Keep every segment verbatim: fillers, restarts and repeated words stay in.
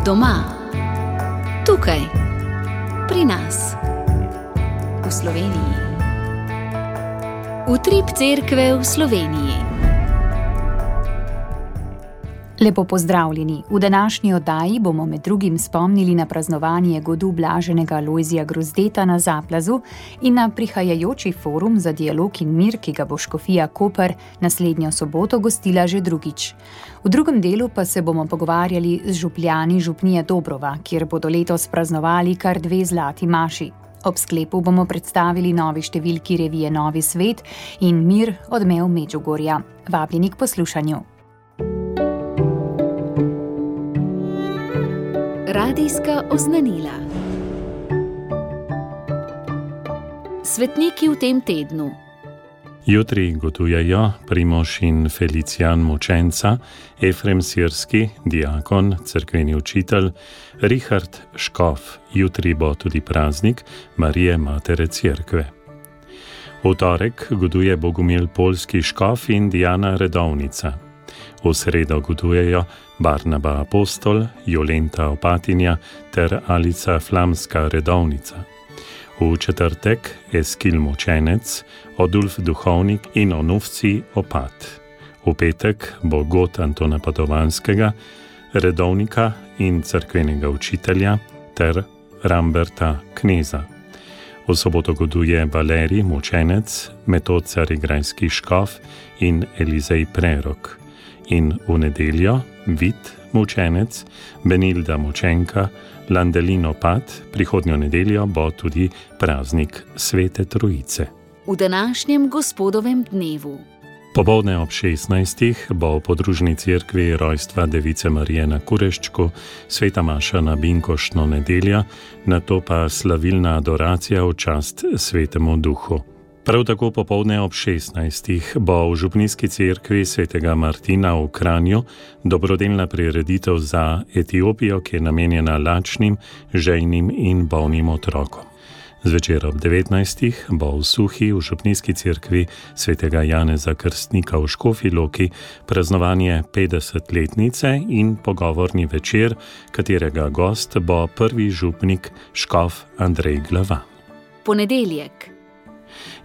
Doma, tukaj, pri nas, v Sloveniji. Utrip cerkve v Sloveniji. Lepo pozdravljeni. V današnji oddaji bomo med drugim spomnili na praznovanje godu blaženega Lojzija Grozdeta na Zaplazu in na prihajajoči forum za dialog in mir, ki ga bo škofija Koper naslednjo soboto gostila že drugič. V drugem delu pa se bomo pogovarjali z župljani župnije Dobrova, kjer bodo letos praznovali kar dve zlati maši. Ob sklepu bomo predstavili novi številki revije Novi svet in Mir odmev Medžugorja. Vabljeni k poslušanju. Radijska oznanila. Svetniki v tem tednu. Jutri gotujejo Primož in Felicijan Mučenca, Efrem Sirski, diakon, cerkveni učitelj, Richard Škof. Jutri bo tudi praznik Marije Matere Cerkve. V torek goduje Bogumil Polski Škof in Diana Redovnica. V sredo gotujejo Barnaba Apostol, Jolenta Opatinja ter Alica Flamska Redovnica. V četrtek Eskil Mučenec, Odulf Duhovnik in Onufci Opat. V petek bo god Antona Padovanskega, redovnika in cerkvenega učitelja ter Ramberta Kneza. V soboto goduje Valerij Mučenec, Metod Carigrajski Škof in Elizej Prerok. In v nedeljo Vid Mučenec, Benilda Mučenka, Landelin Opat, prihodnjo nedeljo bo tudi praznik Svete Trojice. V današnjem gospodovem dnevu. Popoldne ob šestnajstih bo v podružni cerkvi rojstva Device Marije na Kureščku, sveta maša na binkoštno nedeljo, nato pa slavilna adoracija v čast Svetemu Duhu. Prav tako popoldne ob šestnajstih bo v župnijski cerkvi svetega Martina v Kranju dobrodelna prireditev za Etiopijo, ki je namenjena lačnim, žejnim in bolnim otrokom. Zvečer ob devetnajstih bo v Suhi v župnijski cerkvi svetega Janeza Krstnika v Škofji Loki praznovanje petdesetletnice in pogovorni večer, katerega gost bo prvi župnik škof Andrej Glavan. Ponedeljek.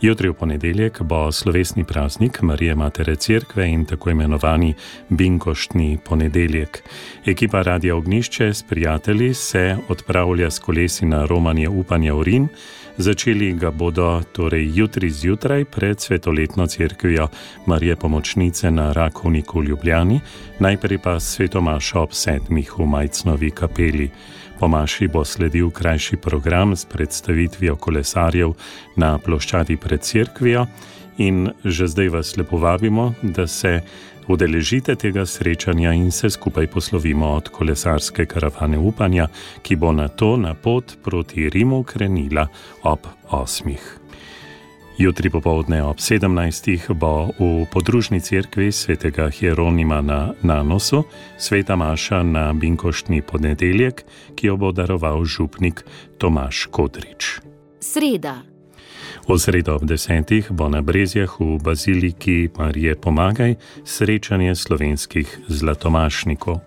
Jutri v ponedeljek bo slovesni praznik Marije Matere Cerkve in tako imenovani binkoštni ponedeljek. Ekipa Radia Ognjišče s prijatelji se odpravlja s kolesi na romanje upanja v Rim. Začeli ga bodo torej jutri zjutraj pred svetoletno cerkvijo Marije Pomočnice na Rakovniku v Ljubljani, najprej pa svetomašo ob sedmih v Majcnovi kapeli. Po maši bo sledil krajši program s predstavitvijo kolesarjev na ploščadi pred cerkvijo in že zdaj vas lepo vabimo, da se udeležite tega srečanja in se skupaj poslovimo od kolesarske karavane upanja, ki bo nato na pot proti Rimu krenila ob osmih. Jutri popoldne ob sedemnajstih bo v podružni cerkvi svetega Hieronima na Nanosu sveta maša na binkoštni ponedeljek, ki jo bo daroval župnik Tomaž Kodrič. Sreda. V sredo ob desetih bo na Brezjah v baziliki Marije Pomagaj srečanje slovenskih zlatomašnikov.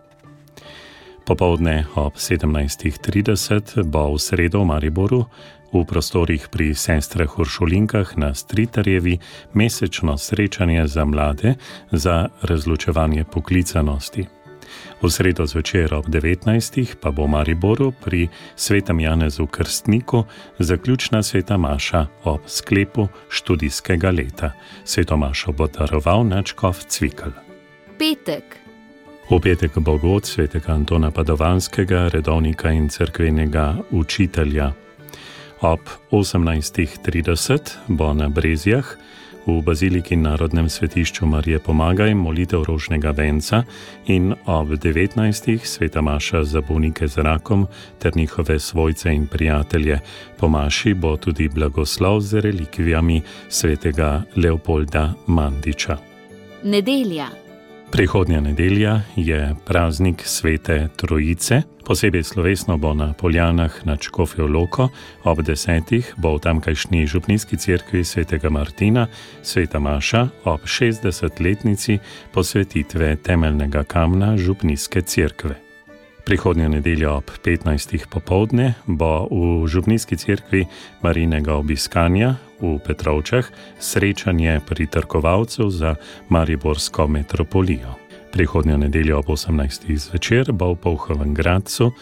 Popoldne ob sedemnajstih trideset bo v sredo v Mariboru v prostorih pri sestrah Uršulinkah na Stritarjevi mesečno srečanje za mlade za razločevanje poklicanosti. V sredo zvečer ob devetnajstih pa bo v Mariboru pri svetem Janezu Krstniku zaključna sveta maša ob sklepu študijskega leta. Sveto mašo bo daroval nadškof Cvikl. Petek. V petek bo god svetega Antona Padovanskega, redovnika in cerkvenega učitelja. Ob osemnajstih trideset bo na Brezjah v baziliki Narodnem svetišču Marije Pomagaj molitev rožnega venca in ob devetnajstih sveta maša za bolnike z rakom ter njihove svojce in prijatelje. Po maši bo tudi blagoslov z relikvijami svetega Leopolda Mandiča. Nedelja. Prihodnja nedelja je praznik Svete Trojice. Posebej slovesno bo na Poljanah nad Škofjo Loko, ob desetih bo v tamkajšnji župnijski cerkvi svetega Martina sveta maša ob šestdesetletnici posvetitve temeljnega kamna župnijske cerkve. Prihodnjo nedeljo ob petnajstih popoldne bo v Župnijski cerkvi Marijinega obiskanja v Petrovčah srečanje pritrkovalcev za mariborsko metropolijo. Prihodnjo nedeljo ob osemnajstih zvečer bo v Polhovem Gradcu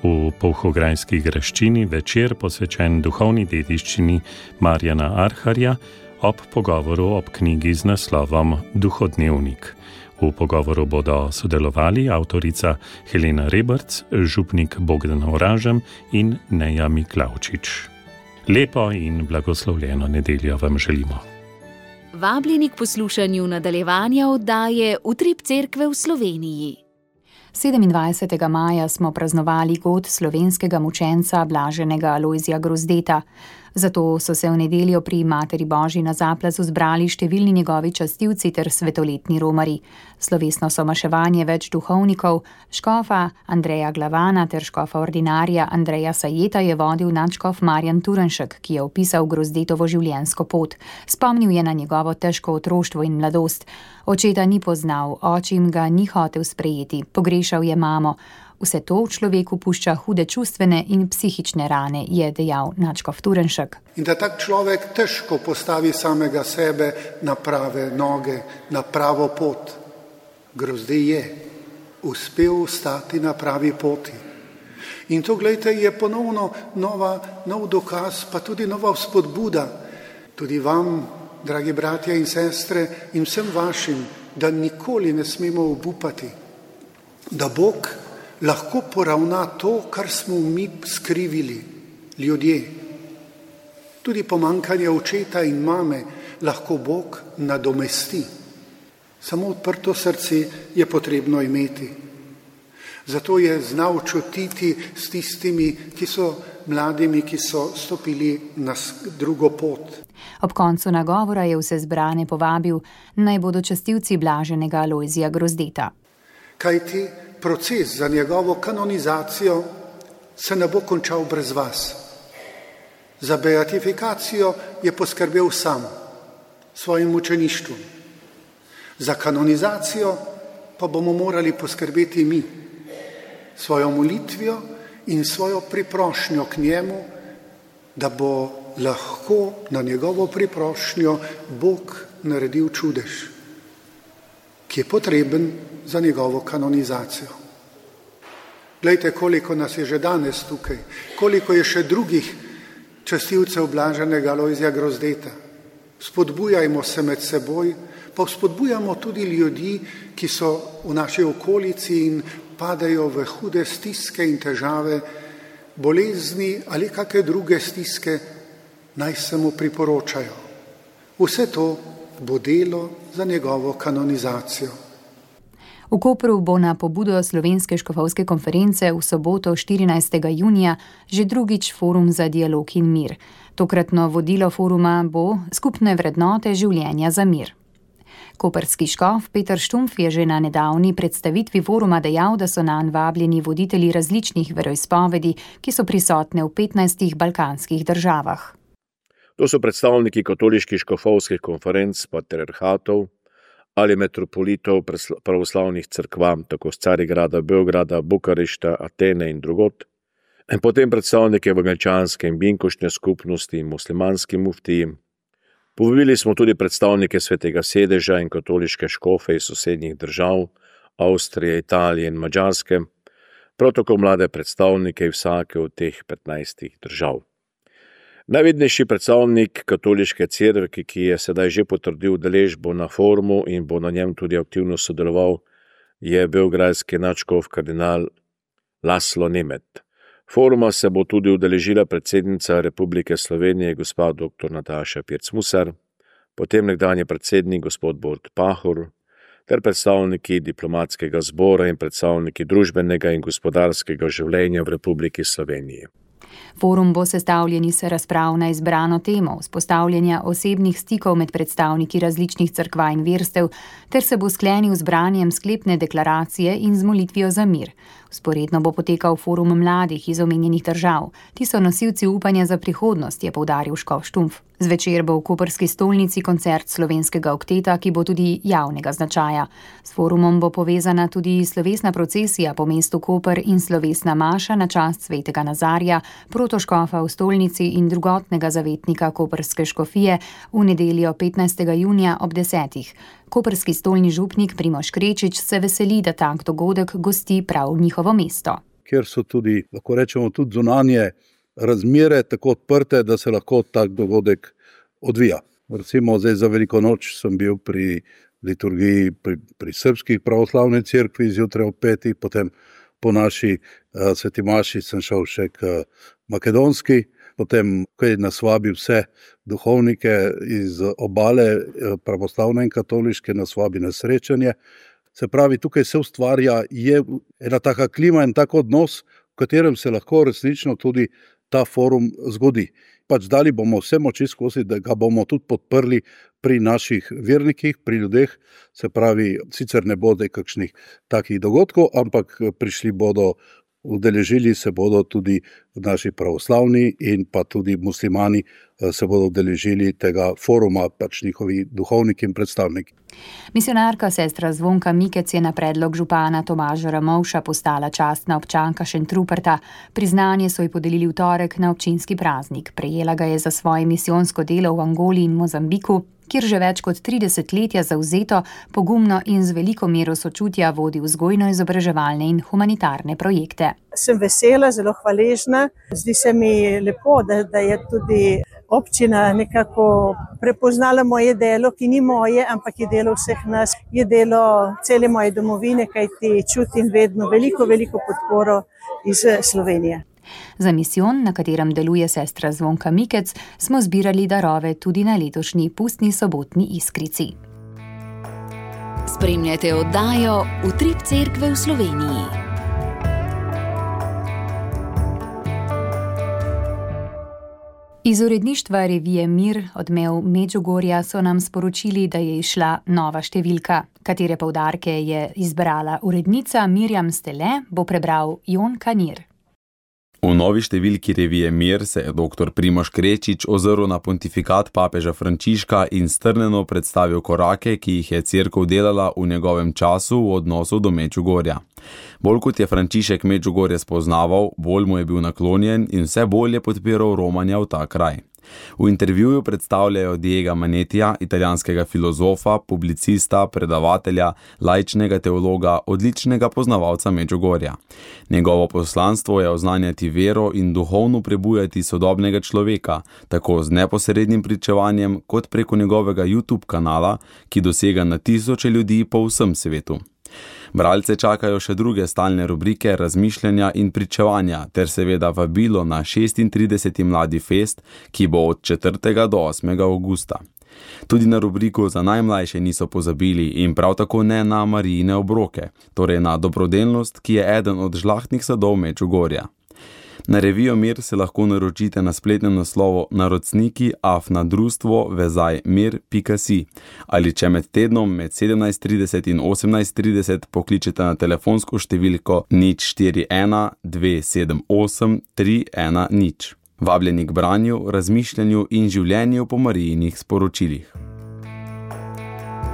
v Polhograjski graščini večer posvečen duhovni dediščini Marjana Arharja ob pogovoru ob knjigi z naslovom Duhodnevnik. V pogovoru bodo sodelovali avtorica Helena Rebrc, župnik Bogdan Oražem in Neja Miklavčič. Lepo in blagoslovljeno nedeljo vam želimo. Vabljeni k poslušanju nadaljevanja oddaje Utrip cerkve v Sloveniji. sedemindvajsetega maja smo praznovali god slovenskega mučenca blaženega Alojzija Grozdeta. Zato so se v nedeljo pri Materi Božji na Zaplazu zbrali številni njegovi častilci ter svetoletni romari. Slovesno somaševanje več duhovnikov, škofa Andreja Glavana ter škofa ordinarja Andreja Sajeta je vodil nadškof Marjan Turnšek, ki je opisal Grozdetovo življenjsko pot. Spomnil je na njegovo težko otroštvo in mladost. Očeta ni poznal, očim ga ni hotel sprejeti, pogrešal je mamo. Vse to v človeku pušča hude čustvene in psihične rane, je dejal nadškof Turnšek. In da tak človek težko postavi samega sebe na prave noge, na pravo pot. Grozdej je uspel stati na pravi poti. In to, glejte, je ponovno nova, nov dokaz, pa tudi nova vzpodbuda. Tudi vam, dragi bratje in sestre, in vsem vašim, da nikoli ne smemo obupati, da Bog lahko poravna to, kar smo mi skrivili, ljudje. Tudi pomanjkanje očeta in mame lahko Bog nadomesti. Samo odprto srce je potrebno imeti. Zato je znal čutiti s tistimi, ki so mladimi, ki so stopili na drugo pot. Ob koncu nagovora je vse zbrane povabil, naj bodo častilci blaženega Alojzija Grozdeta. Kajti proces za njegovo kanonizacijo se ne bo končal brez vas. Za beatifikacijo je poskrbel sam, svojim mučeništvom. Za kanonizacijo pa bomo morali poskrbeti mi, svojo molitvijo in svojo priprošnjo k njemu, da bo lahko na njegovo priprošnjo Bog naredil čudež, ki je potreben za njegovo kanonizacijo. Glejte, koliko nas je že danes tukaj, koliko je še drugih častilcev blaženega Alojzija Grozdeta. Spodbujajmo se med seboj, pa spodbujamo tudi ljudi, ki so v naši okolici in padajo v hude stiske in težave, bolezni ali kakšne druge stiske, naj se mu priporočajo. Vse to bo delo za njegovo kanonizacijo. V Kopru bo na pobudo Slovenske škofovske konference v soboto štirinajstega junija že drugič forum za dialog in mir. Tokratno vodilo foruma bo skupne vrednote življenja za mir. Koprski škof Peter Štumpf je že na nedavni predstavitvi foruma dejal, da so nanj vabljeni voditelji različnih veroizpovedi, ki so prisotne v petnajstih balkanskih državah. To so predstavniki katoliških škofovskih konferenc, patriarhatov ali metropolitov pravoslavnih cerkva, tako z Carigrada, Beograda, Bukarešta, Atene in drugod, in potem predstavnike evangelčanske in binkošne skupnosti in muslimanski muftiji. Povabili smo tudi predstavnike Svetega sedeža in katoliške škofe iz sosednjih držav, Avstrije, Italije in Madžarske, prav tako mlade predstavnike vsake od teh petnajstih držav. Najvidnejši predstavnik katoliške cerkve, ki je sedaj že potrdil udeležbo na forumu in bo na njem tudi aktivno sodeloval, je beograjski nadškof kardinal Laslo Nemet. Foruma se bo tudi udeležila predsednica Republike Slovenije, gospa doktor Nataša Pirc-Musar, potem nekdanji predsednik gospod Borut Pahor, ter predstavniki diplomatskega zbora in predstavniki družbenega in gospodarskega življenja v Republiki Sloveniji. Forum bo sestavljen iz razprav na izbrano temo, vzpostavljanja osebnih stikov med predstavniki različnih cerkva in verstev, ter se bo sklenil z branjem sklepne deklaracije in z molitvijo za mir. Vzporedno bo potekal forum mladih iz omenjenih držav. Ti so nosilci upanja za prihodnost, je poudaril škof Štumpf. Zvečer bo v koprski stolnici koncert slovenskega okteta, ki bo tudi javnega značaja. S forumom bo povezana tudi slovesna procesija po mestu Koper in slovesna maša na čast svetega Nazarja, protoškofa v stolnici in drugotnega zavetnika koprske škofije v nedeljo petnajstega junija ob desetih. Koprski stolni župnik Primož Krečič se veseli, da tak dogodek gosti prav njihovo mesto. Ker so tudi, lahko rečemo, tudi zunanje razmere tako odprte, da se lahko tak dogodek odvija. Recimo zdaj za Veliko noč sem bil pri liturgiji pri, pri srpskih pravoslavni cerkvi zjutraj ob petih, potem po naši uh, sveti maši sem šel še k uh, makedonski, potem kaj nasvabi vse duhovnike iz obale uh, pravoslavne in katoliške nasvabi na srečanje. Se pravi, tukaj se ustvarja, je ena taka klima in tak odnos, v katerem se lahko resnično tudi ta forum zgodi. Pač dali bomo vse moči skozi, da ga bomo tudi podprli pri naših vernikih, pri ljudeh, se pravi, sicer ne bo kakšnih takih dogodkov, ampak prišli bodo, udeležili se bodo tudi naši pravoslavni in pa tudi muslimani se bodo udeležili tega foruma, pač njihovi duhovniki in predstavniki. Misionarka sestra Zvonka Mikec je na predlog župana Tomaža Ramovša postala častna občanka Šentruperta. Priznanje so ji podelili v torek na občinski praznik. Prejela ga je za svoje misijonsko delo v Angoli in Mozambiku, kjer že več kot tri desetletja zavzeto, pogumno in z veliko mero sočutja vodi vzgojno-izobraževalne in humanitarne projekte. Sem vesela, zelo hvaležna. Zdi se mi lepo, da, da je tudi občina nekako prepoznala moje delo, ki ni moje, ampak je delo vseh nas, je delo cele moje domovine, kajti čutim vedno veliko, veliko podporo iz Slovenije. Za misijon, na katerem deluje sestra Zvonka Mikec, smo zbirali darove tudi na letošnji pustni sobotni Iskrici. Spremljate oddajo Utrip cerkve v Sloveniji. Iz uredništva revije Mir, Odmev Medžugorja, so nam sporočili, da je izšla nova številka. Katere poudarke je izbrala urednica Mirjam Stele, bo prebral Jon Kanir. V novi številki revije Mir se je doktor Primož Krečič ozrl na pontifikat papeža Frančiška in strnjeno predstavil korake, ki jih je cerkev delala v njegovem času v odnosu do Medžugorja. Bolj kot je Frančišek Medžugorje spoznaval, bolj mu je bil naklonjen in vse bolj je podpiral romanja v ta kraj. V intervjuju predstavljajo Diega Manetija, italijanskega filozofa, publicista, predavatelja, laičnega teologa, odličnega poznavalca Medžugorja. Njegovo poslanstvo je oznanjati vero in duhovno prebujati sodobnega človeka, tako z neposrednim pričevanjem kot preko njegovega YouTube kanala, ki dosega na tisoče ljudi po vsem svetu. Bralce čakajo še druge stalne rubrike razmišljanja in pričevanja ter seveda vabilo na šestintrideseti Mladi fest, ki bo od četrtega do osmega avgusta. Tudi na rubriko za najmlajše niso pozabili in prav tako ne na Marijine obroke, torej na dobrodelnost, ki je eden od žlahtnih sadov Medžugorja. Na revijo Mir se lahko naročite na spletnem naslovu naročniki afna društvo vezaj mir pika si ali če med tednom med sedemnajst trideset in osemnajst trideset pokličete na telefonsko številko nič štiri ena dve sedem osem tri ena nič. Vabljeni k branju, razmišljanju in življenju po Marijinih sporočilih.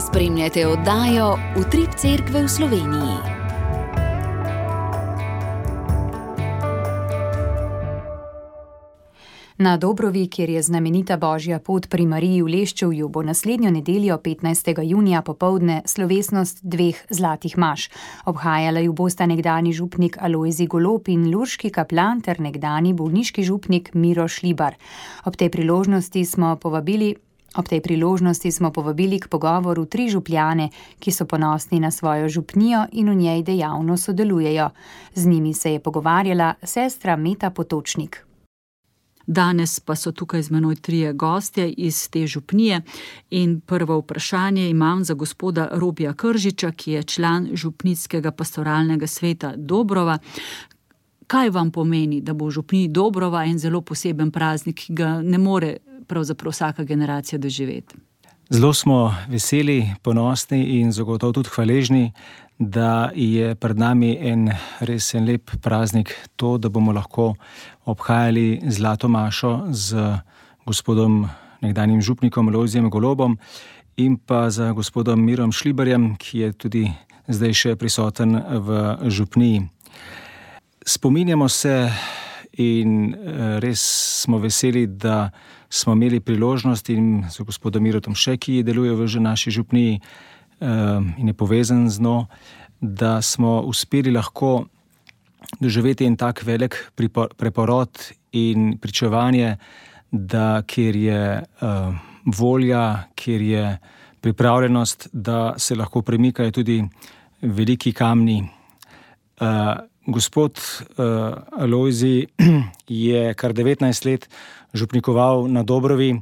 Spremljate oddajo Utrip cerkve v Sloveniji. Na Dobrovi, kjer je znamenita Božja pot pri Mariji v Leščevju, bo naslednjo nedeljo petnajstega junija popoldne slovesnost dveh zlatih maš. Obhajala ju bosta nekdani župnik Alojzij Golob in lurški kaplan ter nekdani bolniški župnik Miro Šlibar. Ob tej priložnosti smo povabili Ob tej priložnosti smo povabili k pogovoru tri župljane, ki so ponosni na svojo župnijo in v njej dejavno sodelujejo. Z njimi se je pogovarjala sestra Meta Potočnik. Danes pa so tukaj z menoj trije gostje iz te župnije in prvo vprašanje imam za gospoda Robija Kržiča, ki je član župnickega pastoralnega sveta Dobrova. kaj vam pomeni, da bo v župniji Dobrova en zelo poseben praznik, ki ga ne more pravzaprav vsaka generacija doživeti? Zelo smo veseli, ponosni in zagotovo tudi hvaležni, da je pred nami en res en lep praznik, to, da bomo lahko obhajali zlato mašo z gospodom nekdanjim župnikom Lojzijem Golobom in pa z gospodom Mirom Šlibarjem, ki je tudi zdaj še prisoten v župniji. Spominjamo se in res smo veseli, da smo imeli priložnost in z gospodom Mirotom še, ki deluje v naši župniji in je povezan z njo, da smo uspeli lahko doživeti en tak velik preporod in pričevanje, da kjer je uh, volja, kjer je pripravljenost, da se lahko premikajo tudi veliki kamni. Uh, gospod uh, Lojzij je kar devetnajst let župnikoval na Dobrovi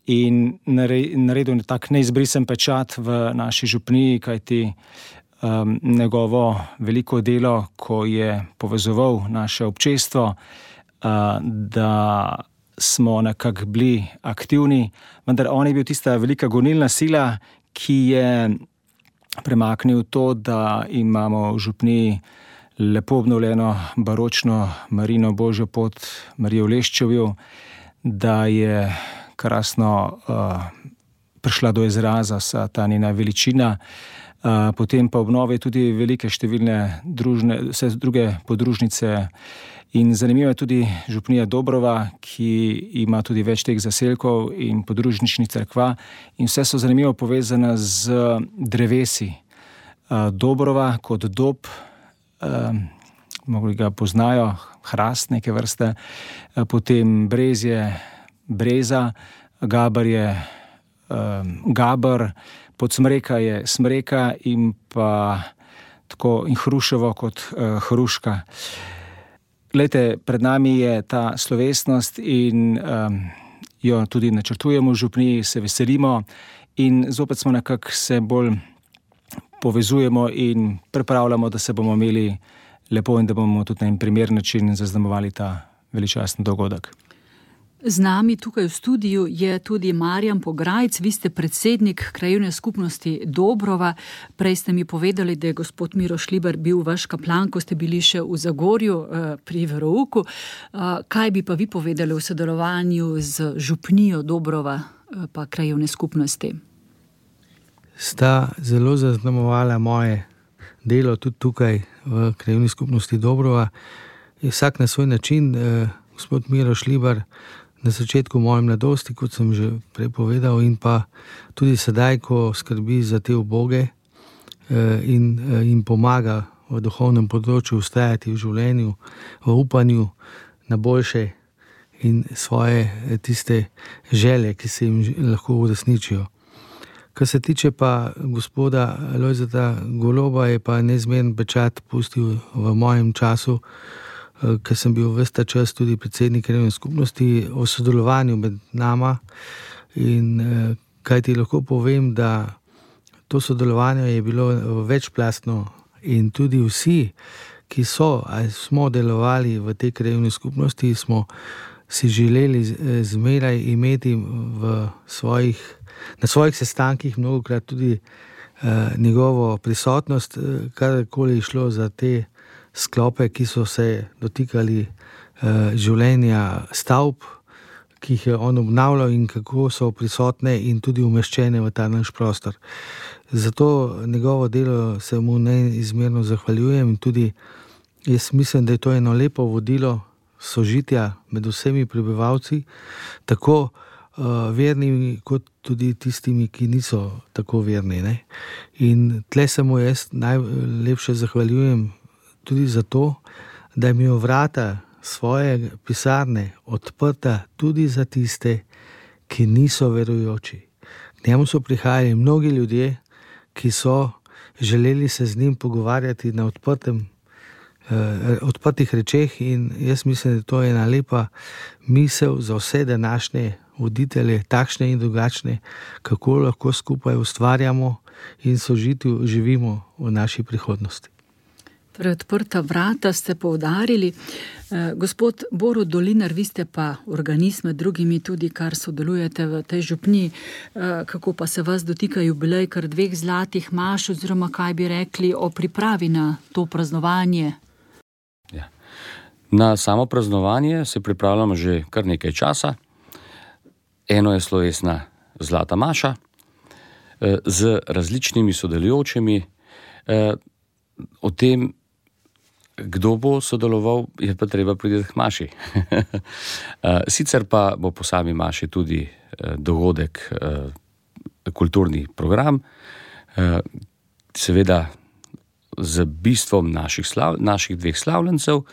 in naredil tak neizbrisen pečat v naši župniji, kajti um, njegovo veliko delo, ko je povezoval naše občestvo, uh, da smo nekako bili aktivni, vendar on je bil tista velika gonilna sila, ki je premaknil to, da imamo v župniji lepo obnovljeno baročno Marino Božjo pot Marijo v Leščevju, da je krasno uh, prišla do izraza vsa ta njena veličina, uh, potem pa obnove tudi velike številne družne, vse druge podružnice. In zanimiva je tudi župnija Dobrova, ki ima tudi več teh zaselkov in podružničnih cerkva in vse so zanimivo povezane z drevesi. Uh, Dobrova kot dob, uh, mogli ga poznajo, hrast neke vrste, uh, potem brezje, breza, gabar je um, gabar, podsmreka je smreka in pa tako in hruševo kot uh, hruška. Glejte, pred nami je ta slovesnost in um, jo tudi načrtujemo v župniji, se veselimo in zopet smo nekako se bolj povezujemo in pripravljamo, da se bomo imeli lepo in da bomo tudi na en primer način zaznamovali ta veličasten dogodek. Z nami tukaj v studiu je tudi Marjan Pograjc, vi ste predsednik krajevne skupnosti Dobrova. Prej ste mi povedali, da je gospod Miro Šlibar bil vaš kaplan, ko ste bili še v Zagorju pri verouku. Kaj bi pa vi povedali o sodelovanju z župnijo Dobrova pa krajevne skupnosti? Sta zelo zaznamovala moje delo tudi tukaj v krajevni skupnosti Dobrova. Je vsak na svoj način. Gospod Miro Šlibar na začetku moje mladosti, kot sem že prej povedal, in pa tudi sedaj, ko skrbi za te uboge in jim pomaga v duhovnem področju ustajati v življenju, v upanju na boljše in svoje tiste želje, ki se jim lahko uresničijo. Kar se tiče pa gospoda Lojzeta Goloba, je pa neizmeren pečat pustil v mojem času, ker sem bil ves ta čas tudi predsednik krajevne skupnosti, o sodelovanju med nama in kaj ti lahko povem, da to sodelovanje je bilo večplastno in tudi vsi, ki so ali smo delovali v tej krajevni skupnosti, smo si želeli zmeraj imeti v svojih, na svojih sestankih mnogokrat tudi uh, njegovo prisotnost, karkoli je šlo za te sklope, ki so se dotikali uh, življenja stavb, ki jih je on obnavljal in kako so prisotne in tudi umeščene v ta naš prostor. Zato njegovo delo se mu neizmerno zahvaljujem in tudi jaz mislim, da je to eno lepo vodilo sožitja med vsemi prebivalci, tako uh, vernimi kot tudi tistimi, ki niso tako verni. Ne? In tle se mu jaz najlepše zahvaljujem tudi zato, da je imel vrata svoje pisarne odprta tudi za tiste, ki niso verujoči. K njemu so prihajali mnogi ljudje, ki so želeli se z njim pogovarjati na odprtem, eh, odprtih rečeh in jaz mislim, da to je ena lepa misel za vse današnje voditelje, takšne in drugačne, kako lahko skupaj ustvarjamo in sožitju živimo v naši prihodnosti. Torej, odprta vrata ste poudarili. Gospod Borut Dolinar, vi ste pa organist med drugimi tudi, kar sodelujete v tej župniji. Kako pa se vas dotika jubilej kar dveh zlatih maš, oziroma kaj bi rekli o pripravi na to praznovanje? Ja. Na samo praznovanje se pripravljamo že kar nekaj časa. Eno je slovesna zlata maša z različnimi sodelujočimi. O tem, kdo bo sodeloval, je pa treba priti k maši. Sicer pa bo po sami maši tudi dogodek, kulturni program, seveda z bistvom naših, slav, naših dveh slavljencev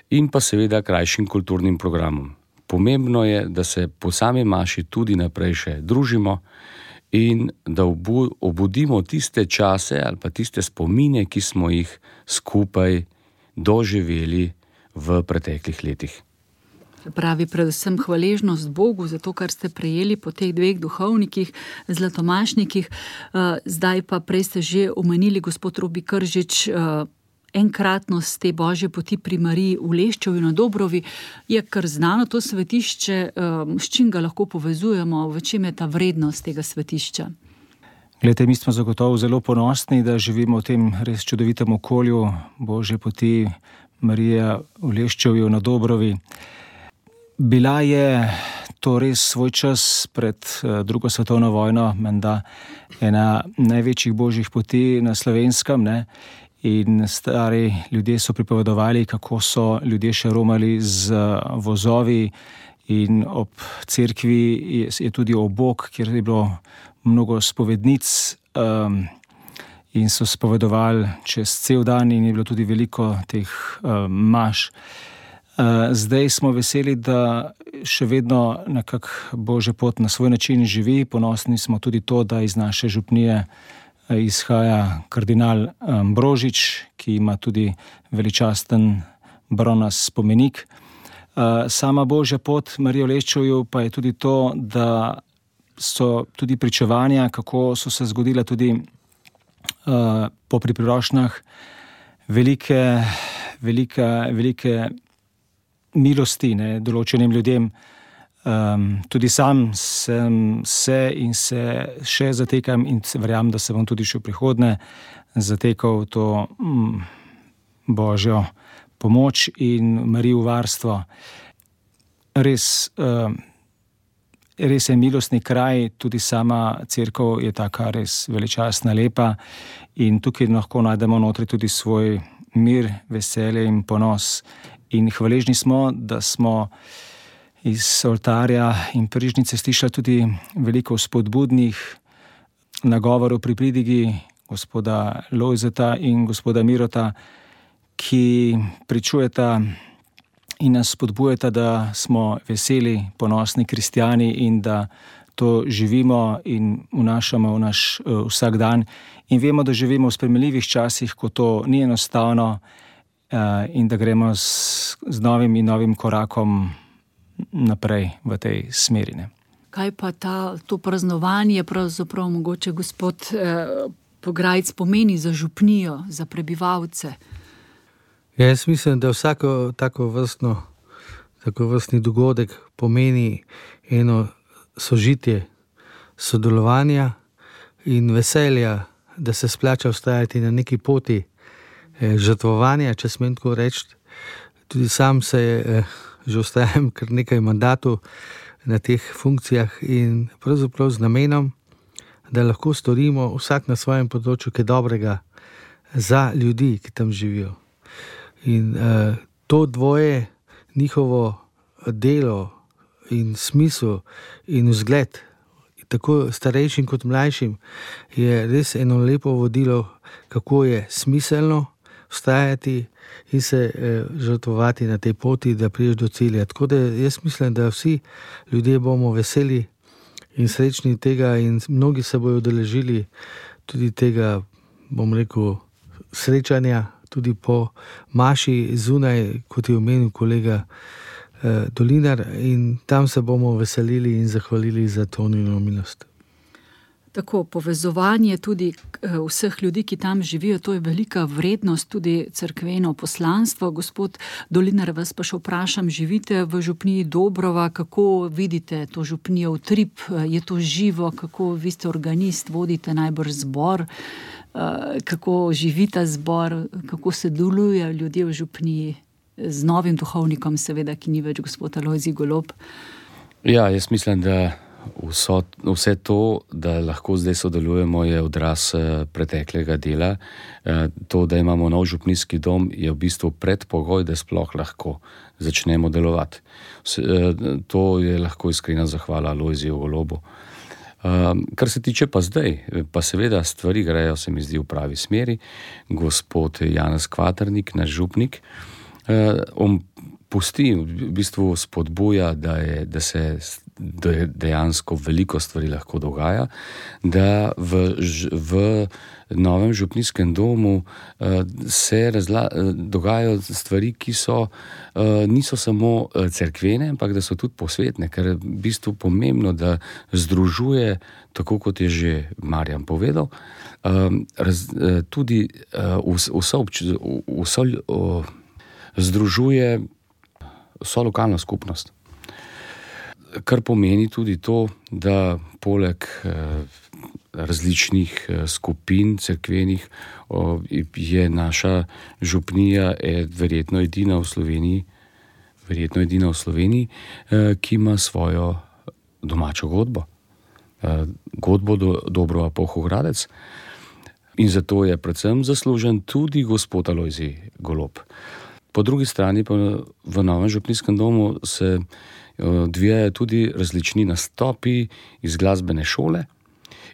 in pa seveda krajšim kulturnim programom. Pomembno je, da se po sami maši tudi naprej še družimo in da obudimo tiste čase ali pa tiste spomine, ki smo jih skupaj doživeli v preteklih letih. Pravi predvsem hvaležnost Bogu za to, kar ste prejeli po teh dveh duhovnikih, zlatomašnikih. Zdaj pa prej ste že omenili, gospod Robi Kržič, enkratnost te Božje poti pri Mariji v Leščevu na Dobrovi. Je kar znano to svetišče, s čim ga lahko povezujemo, v čem je ta vrednost tega svetišča? Glejte, mi smo zagotovo zelo ponosni, da živimo v tem res čudovitem okolju Božje poti Marije v Leščevu na Dobrovi. Bila je to res svoj čas pred drugo svetovno vojno, menda ena največjih božjih poti na Slovenskem, ne? In stari ljudje so pripovedovali, kako so ljudje še romali z vozovi in ob cerkvi je, je tudi obok, kjer je bilo mnogo spovednic um, in so spovedovali čez cel dan in je bilo tudi veliko teh um, maš. Uh, zdaj smo veseli, da še vedno nekako Božja pot na svoj način živi. Ponosni smo tudi to, da iz naše župnije izhaja kardinal Ambrožič, ki ima tudi veličasten bronast spomenik. Sama Božja pot Marije v Leščevu pa je tudi to, da so tudi pričevanja, kako so se zgodile tudi uh, po priprošnjah velike, velike, velike milosti, ne, določenim ljudem. Um, tudi sam sem se in se še zatekam in verjamem, da se bom tudi še v prihodnje zatekal v to mm, Božjo pomoč in Marijo varstvo. Res, um, res je milostni kraj, tudi sama cerkev je taka res veličastna, lepa in tukaj lahko najdemo notri tudi svoj mir, veselje in ponos. In hvaležni smo, da smo iz oltarja in prižnice slišali tudi veliko spodbudnih nagovorov pri pridigi gospoda Lojzeta in gospoda Mirota, ki pričujeta in nas spodbujeta, da smo veseli, ponosni kristjani in da to živimo in vnašamo v naš uh, vsak dan. In vemo, da živimo v sprejemljivih časih, ko to ni enostavno uh, in da gremo z, z novim in novim korakom naprej v tej smeri. Ne. Kaj pa ta, to praznovanje pravzaprav mogoče gospod eh, Pograjc pomeni za župnijo, za prebivalce? Ja, jaz mislim, da vsako tako vrstno, tako vrstni dogodek pomeni eno sožitje, sodelovanja in veselja, da se splača vztrajati na neki poti eh, žrtvovanja, če smem tako reči. Tudi sam se eh, že ostajam kar nekaj mandatov na teh funkcijah in pravzaprav z namenom, da lahko storimo vsak na svojem področju kaj dobrega za ljudi, ki tam živijo. In uh, to dvoje, njihovo delo in smisel in vzgled, tako starejšim kot mlajšim, je res eno lepo vodilo, kako je smiselno vztrajati in se eh, žrtvovati na tej poti, da prideš do cilja. Tako da jaz mislim, da vsi ljudje bomo veseli in srečni tega in mnogi se bojo udeležili tudi tega, bom rekel, srečanja, tudi po maši zunaj, kot je omenil kolega eh, Dolinar, in tam se bomo veselili in zahvalili za to njuno milost. Tako povezovanje tudi vseh ljudi, ki tam živijo, to je velika vrednost, tudi cerkveno poslanstvo. Gospod Dolinar, vas pa še vprašam, živite v župniji Dobrova, kako vidite to župnijo Utrip, je to živo, kako vi ste organist, vodite najbrž zbor, kako živita zbor, kako se delujejo ljudje v župniji z novim duhovnikom, seveda, ki ni več gospod Alojzij Golob? Ja, jaz mislim, da Vso, vse to, da lahko zdaj sodelujemo, je odraz preteklega dela. To, da imamo nov župnijski dom, je v bistvu predpogoj, da sploh lahko začnemo delovati. To je lahko iskrena zahvala Alojziju Golobu. Kar se tiče pa zdaj, pa seveda stvari grejo, se mi zdi, v pravi smeri. Gospod Janez Kvaternik, naš župnik, on pusti, v bistvu spodbuja, da, je, da se dejansko veliko stvari lahko dogaja, da v, v novem župnijskem domu se razla, dogajajo stvari, ki so, niso samo cerkvene, ampak da so tudi posvetne, ker je v bistvu pomembno, da združuje, tako kot je že Marjan povedal, raz, tudi vso, vso, združuje vso lokalno skupnost. Kar pomeni tudi to, da poleg različnih skupin cerkvenih je naša župnija verjetno edina v Sloveniji, verjetno edina v Sloveniji, ki ima svojo domačo godbo. Godbo do Dobrova Polhogradec. In zato je predvsem zaslužen tudi gospod Alojzij Golob. Po drugi strani pa v novem župnijskem domu se odvijajo tudi različni nastopi iz glasbene šole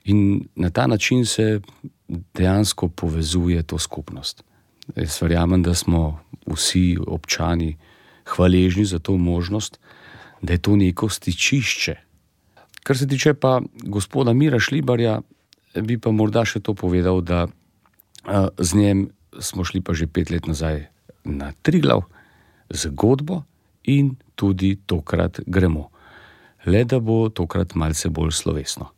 in na ta način se dejansko povezuje to skupnost. Jaz verjamem, da smo vsi občani hvaležni za to možnost, da je to neko stičišče. Kar se tiče pa gospoda Mira Šlibarja, bi pa morda še to povedal, da z njem smo šli pa že pet let nazaj na Triglav z godbo in tudi tokrat gremo. Le da bo tokrat malce bolj slovesno.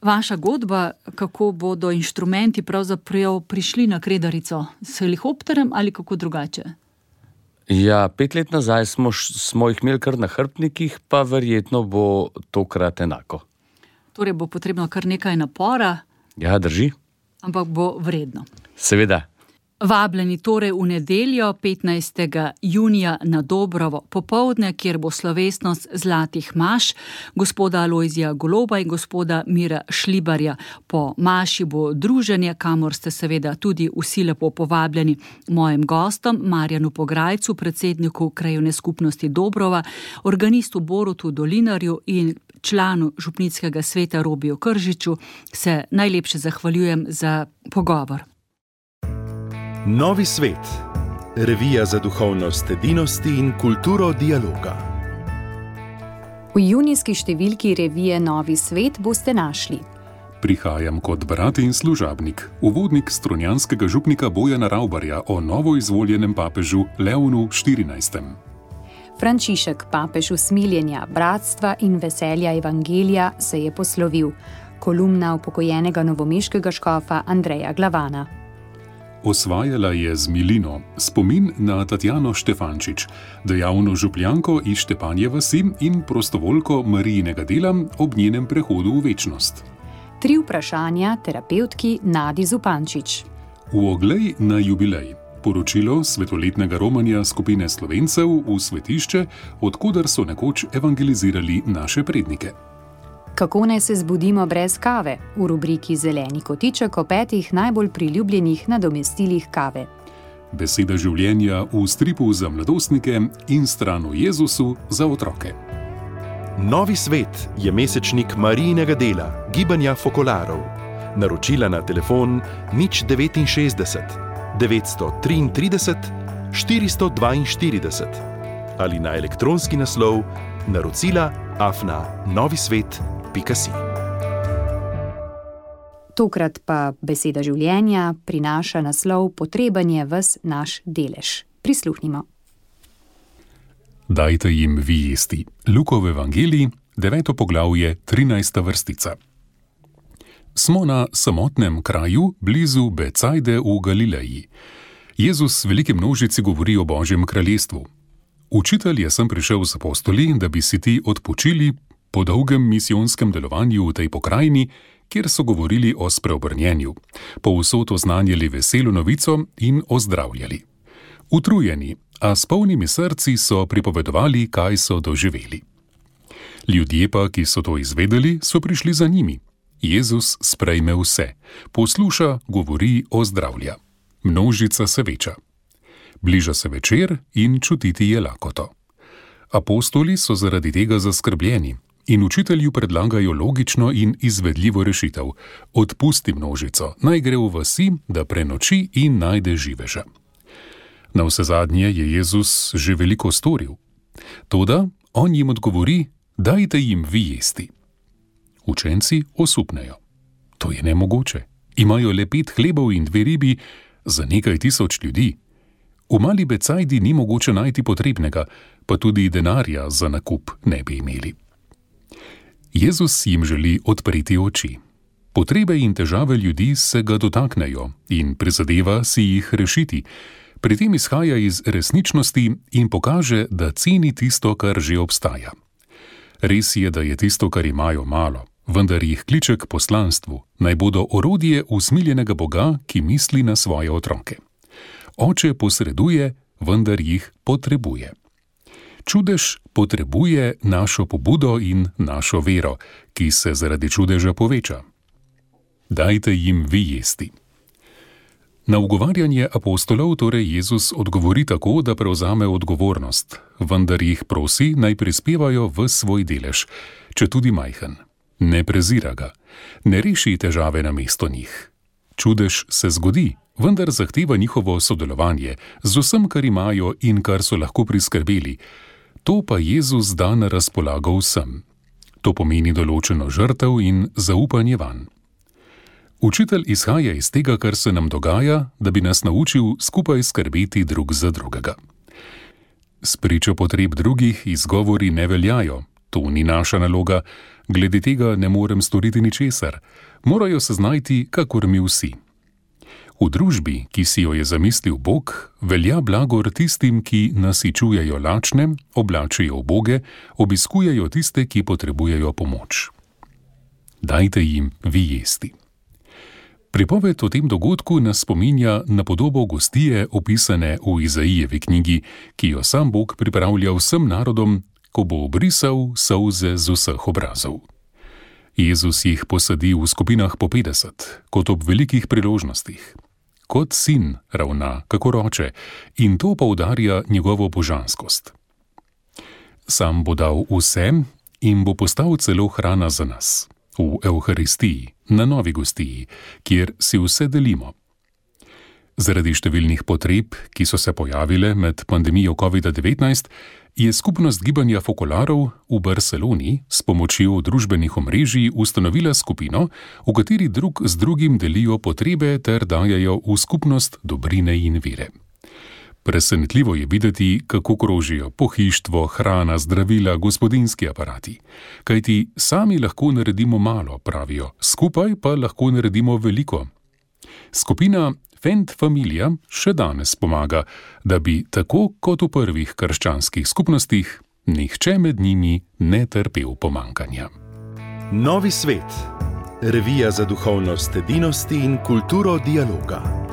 Vaša godba, kako bodo inštrumenti pravzaprav prišli na Kredarico? S helikopterem ali kako drugače? Ja, pet let nazaj smo, smo jih imeli kar na hrbtnikih, pa verjetno bo tokrat enako. Torej bo potrebno kar nekaj napora. Ja, drži. Ampak bo vredno. Seveda. Vabljeni torej v nedeljo, petnajstega junija na Dobrovo popoldne, kjer bo slovesnost zlatih maš gospoda Alojzija Goloba in gospoda Mira Šlibarja. Po maši bo druženje, kamor ste seveda tudi vsi lepo povabljeni. Mojim gostom, Marjanu Pograjcu, predsedniku Krajevne skupnosti Dobrova, organistu Borutu Dolinarju in članu župnijskega sveta Robiju Kržiču, se najlepše zahvaljujem za pogovor. Novi svet. Revija za duhovnost edinosti in kulturo dialoga. V junijski številki revije Novi svet boste našli: Prihajam kot brat in služabnik, uvodnik strunjanskega župnika Bojana Ravbarja o novoizvoljenem papežu Leonu štirinajstem. Frančišek, papež usmiljenja, bratstva in veselja evangelija, se je poslovil. Kolumna upokojenega novomeškega škofa Andreja Glavana. Osvajala je z milino spomin na Tatjano Štefančič, dejavno župljanko iz Štepanje vasi in prostovoljko Marijinega dela ob njenem prehodu v večnost. Tri vprašanja terapevtki Nadi Zupančič. V oglej na jubilej. Poročilo svetoletnega romanja skupine Slovencev v svetišče, odkudar so nekoč evangelizirali naše prednike. Kako naj se zbudimo brez kave? V rubriki Zeleni kotiček o petih najbolj priljubljenih nadomestilih kave. Beseda življenja v stripu za mladostnike in stran o Jezusu za otroke. Novi svet je mesečnik Marijinega dela, gibanja fokolarov. Naročila na telefon nič devetinšestdeset devetsto triintrideset štiristo dvainštirideset ali na elektronski naslov naročila afna novisvet pika si. Tokrat pa beseda življenja prinaša naslov Potreben je ves naš delež. Prisluhnimo. Dajte jim vi jesti. Lukov evangelij, deveto poglavje, trinajsta vrstica. Smo na samotnem kraju blizu Becajde v Galileji. Jezus veliki množici govori o Božjem kraljestvu. Učitelj je sem prišel z apostoli, da bi si ti odpočili po dolgem misijonskem delovanju v tej pokrajini, kjer so govorili o spreobrnjenju, povsod oznanjali veselo novico in ozdravljali. Utrujeni, a s polnimi srci so pripovedovali, kaj so doživeli. Ljudje pa, ki so to izvedeli, so prišli za njimi. Jezus sprejme vse, posluša, govori, ozdravlja. Množica se veča. Bliža se večer in čutiti je lakoto. Apostoli so zaradi tega zaskrbljeni in učitelju predlagajo logično in izvedljivo rešitev. Odpusti množico, naj gre v vasi, da prenoči in najde živeža. Navsezadnje je Jezus že veliko storil. Toda on jim odgovori, dajte jim vi jesti. Učenci osupnejo. To je nemogoče. Imajo le pet hlebov in dve ribi za nekaj tisoč ljudi. V mali Becajdi ni mogoče najti potrebnega, pa tudi denarja za nakup ne bi imeli. Jezus jim želi odpreti oči. Potrebe in težave ljudi se ga dotaknejo in prizadeva si jih rešiti. Pri tem izhaja iz resničnosti in pokaže, da ceni tisto, kar že obstaja. Res je, da je tisto, kar imajo, malo, vendar jih kliče k poslanstvu, naj bodo orodje usmiljenega Boga, ki misli na svoje otroke. Oče posreduje, vendar jih potrebuje. Čudež potrebuje našo pobudo in našo vero, ki se zaradi čudeža poveča. Dajte jim vi jesti. Na ugovarjanje apostolov torej Jezus odgovori tako, da prevzame odgovornost, vendar jih prosi, naj prispevajo v svoj delež, če tudi majhen. Ne prezira ga, ne reši težave na mesto njih. Čudež se zgodi, vendar zahteva njihovo sodelovanje z vsem, kar imajo in kar so lahko priskrbeli. To pa Jezus da na razpolago vsem. To pomeni določeno žrtev in zaupanje vanj. Učitelj izhaja iz tega, kar se nam dogaja, da bi nas naučil skupaj skrbeti drug za drugega. Spričo potreb drugih izgovori ne veljajo, to ni naša naloga, glede tega ne morem storiti ničesar, morajo se znajti, kakor mi vsi. V družbi, ki si jo je zamislil Bog, velja blagor tistim, ki nasičujejo lačne, oblačijo uboge, obiskujejo tiste, ki potrebujejo pomoč. Dajte jim vi jesti. Pripoved o tem dogodku nas spominja na podobo gostije opisane v Izaijevi knjigi, ki jo sam Bog pripravlja vsem narodom, ko bo obrisal solze z vseh obrazov. Jezus jih posadi v skupinah po petdeset, kot ob velikih priložnostih. Kot sin ravna, kakor oče, in to poudarja njegovo božanskost. Sam bo dal vsem in bo postal celo hrana za nas. V Evharistiji, na novi gostiji, kjer si vse delimo. Zaradi številnih potreb, ki so se pojavile med pandemijo covid devetnajst, je skupnost gibanja Fokolarov v Barceloni s pomočjo družbenih omrežij ustanovila skupino, v kateri drug z drugim delijo potrebe ter dajajo v skupnost dobrine in vire. Presenetljivo je videti, kako krožijo pohištvo, hrana, zdravila, gospodinjski aparati. Kajti sami lahko naredimo malo, pravijo, skupaj pa lahko naredimo veliko. Skupina Fend Familia še danes pomaga, da bi, tako kot v prvih krščanskih skupnostih, nihče med njimi ne trpel pomankanja. Novi svet. Revija za duhovnost edinosti in kulturo dialoga.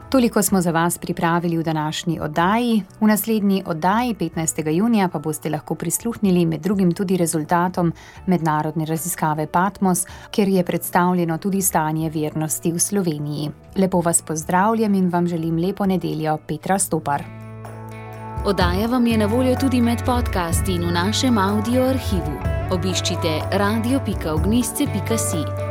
Toliko smo za vas pripravili v današnji oddaji. V naslednji oddaji petnajstega junija pa boste lahko prisluhnili med drugim tudi rezultatom mednarodne raziskave Patmos, kjer je predstavljeno tudi stanje vernosti v Sloveniji. Lepo vas pozdravljam in vam želim lepo nedeljo. Petra Stopar. Oddaja vam je na voljo tudi med podcasti in v našem audio arhivu. Obiščite radio pika ognjišče pika si.